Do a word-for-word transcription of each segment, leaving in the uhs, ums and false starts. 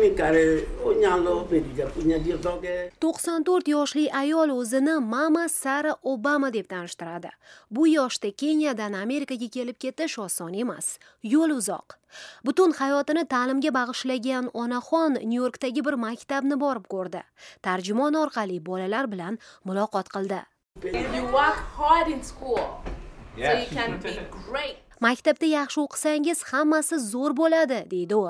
Ni kare onyalo bedo japuonj adier dhoge. to'qson to'rt yoshli ayol o'zini Mama Sara Obama deb tanishtiradi. Bu yoshda Keniyadan Amerikaga kelib ketish oson emas. Yo'l uzoq. Butun hayotini ta'limga bag'ishlagan onaxon Nyu-Yorkdagi bir maktabni borib ko'rdi. Tarjimon orqali bolalar bilan muloqot qildi. You work hard in school, so you can be great. Maktabda yaxshi o'qisangiz hammasi zo'r bo'ladi, deydi u.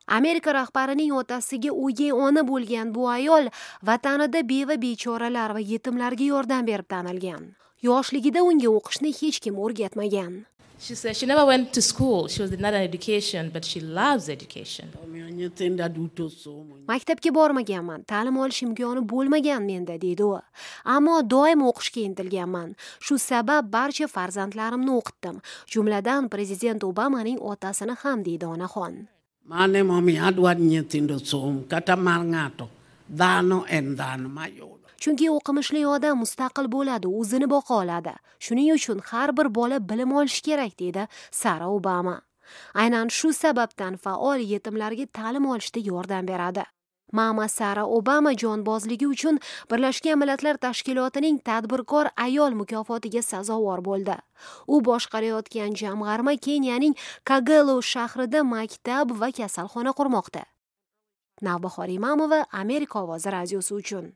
Amerika rahbarining otasiga o'gay ona bo'lgan bu ayol vatanida beva bechoralar va yetimlarga yordam berib tanilgan. Yoshligida unga o'qishni hech kim o'rgatmagan. She said she never went to school. She was denied an education, but she loves education. Omiyo nyithinda duto somo. Maktabga bormaganman, ta'lim olish imkoni bo'lmagan menda, deydi u. Ammo doim o'qishga intilganman. Shu sabab barcha farzandlarimni o'qitdim. Jumladan prezident Obamaning otasini ham, deydi onaxon. Mano emomiyo adwa ni nyithindo som, kata mar ng'ato, dhano en dhano mayudo. Chunki o'qimishli odam mustaqil bo'ladi, o'zini boqa oladi. Shuning uchun har bir bola bilim olishi kerak, deydi Sara Obama. Aynan shu sababdan faol yetimlarga ta'lim olishda yordam beradi. Mama Sara Obama jonbozligi uchun Birlashgan Millatlar Tashkilotining tadbirkor ayol mukofotiga sazovor bo'ldi. U boshqarayotgan jamg'arma Keniyaning Kagelo shahrida maktab va kasalxona qurmoqda. Navbahor Imamova, Amerika ovozi radiosi uchun.